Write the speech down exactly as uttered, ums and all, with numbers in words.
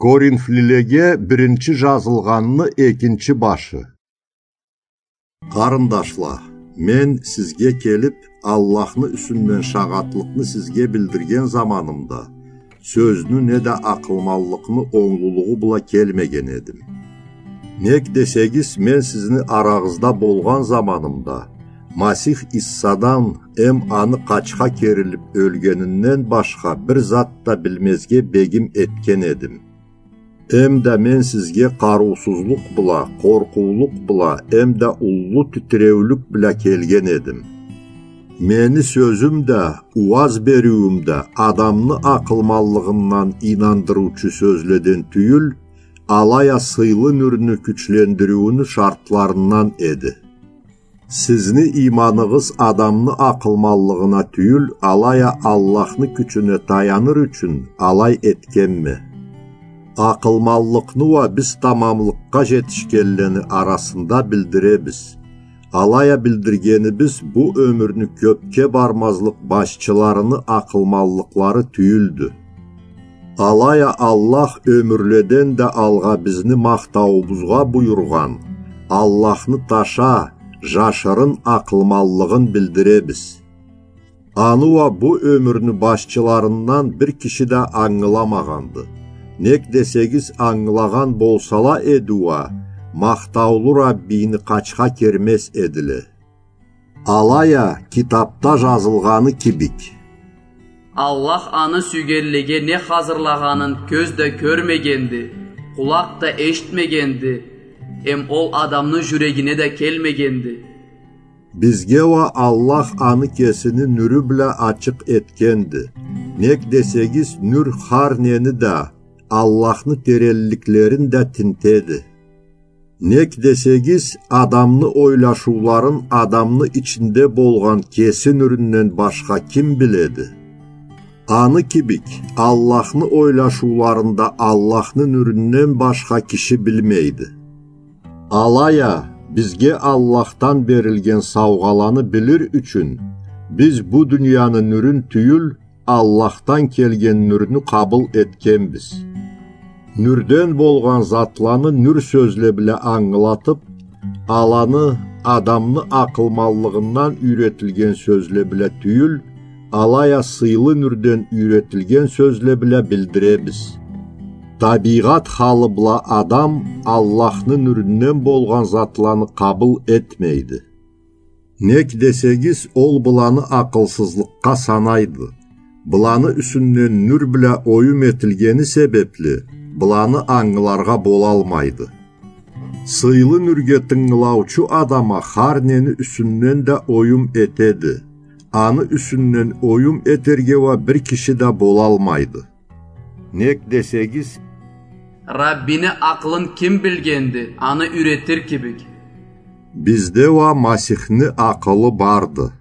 Коринфлилеге биринчи жазылгъанны экинчи башы. Къарындашла, мен сизге келип, Аллахны юсюнден шагъатлыкъны сизге билдирген заманымда, сёзню неда акъылманлыкъны онглулугъу бла келмеген эдим. Нек десегиз, мен сизни арагъызда болгъан заманымда, Масих Иссадан эм аны къачха керилип ёлгенинден башха бир зат да билмезге бегим этген эдим. Эм да мен сизге къарыусузлукъ бла, къоркъуулукъ бла, эм да уллу титиреулюк бла келген эдим. Мени сёзюм да, ууаз бериуюм да адамны акъылманлыгъындан ийнандырыучу сёзледен тюйюл, алай а сыйлы нюрню кючлендириуню шартларындан эди. Сизни ийманыгъыз адамны акъылманлыгъына тюйюл, алай а Аллахны кючюне таяныр ючюн алай этгенме. Акъылманлыкъны уа биз тамамлыкъгъа жетишгенлени арасында билдиребиз. Алай а билдиргенибиз бу ёмюрню кёпге бармазлыкъ башчыларыны акъылманлыкълары тюйюлдю. Алай а Аллах ёмюрледен да алгъа бизни махтауубузгъа буюргъан, Аллахны таша, жашырын акъылманлыгъын билдиребиз. Аны уа бу ёмюрню башчыларындан бир киши да ангыламагъанды. Нек десегиз, ангылагъан болсала эди уа, махтаулу Раббийни къачха кермез эдиле. Алай а китапда жазылгъаны кибик: Аллах аны сюйгенлеге не хазырлагъанын кёз да кёрмегенди, къулакъ да эшитмегенди, эм ол адамны жюрегине да келмегенди. Бизге уа Аллах аны кесини нюрю бла ачыкъ этгенди. Нек десегиз, нюр хар нени да, Аллахны теренликлерин да тинтеди. Нек десегиз, адамны ойлашыуларын адамны ичинде болгъан кеси нюрюнден башха ким биледи? Аны кибик, Аллахны ойлашыуларын да Аллахны нюрюнден башха киши билмейди. Алай а, бизге Аллахдан берилген саугъаланы билир ючюн, биз бу дунияны нюрюн тюйюл, Аллахдан келген нюрню къабыл этгенбиз. Нюрден болгъан затланы нюр сёзле бла ангылатып, аланы адамны акъылманлыгъындан юйретилген сёзле бла тюйюл, алай а сыйлы нюрден юйретилген сёзле бла билдиребиз. Табийгъат халы бла адам Аллахны нюрюнден болгъан затланы къабыл этмейди. Нек десегиз, ол быланы акъылсызлыкъгъа санайды. Быланы юсюнден нюр бла оюм этилгени себепли, быланы ангыларгъа болалмайды. Сыйлы нюрге тынгылаучу адам а хар нени юсюнден да оюм этеди. Аны юсюнден оюм этерге уа бир киши да болалмайды. Нек десегиз, Раббини акъылын ким билгенди, аны юйретир кибик? Бизде уа Масихни акъылы барды.